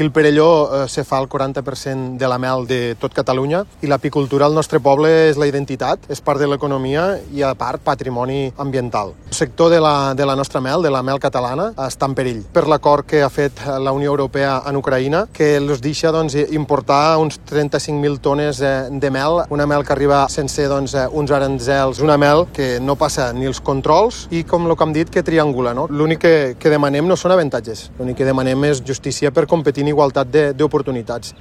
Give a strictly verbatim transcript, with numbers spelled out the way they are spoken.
El Perelló eh, se fa el quaranta per cent de la mel de tot Catalunya i l'apicultura al nostre poble és la identitat, és part de l'economia i a part patrimoni ambiental. El sector de la, de la nostra mel, de la mel catalana, està en perill per l'acord que ha fet la Unió Europea en Ucraïna, que els deixa doncs, importar uns trenta-cinc mil tones de mel, una mel que arriba sense doncs, uns aranzels, una mel que no passa ni els controls i, com el que hem dit, que triangula. No? L'únic que, que demanem no són avantatges, l'únic que demanem és justícia per competir en igualtat d'oportunitats.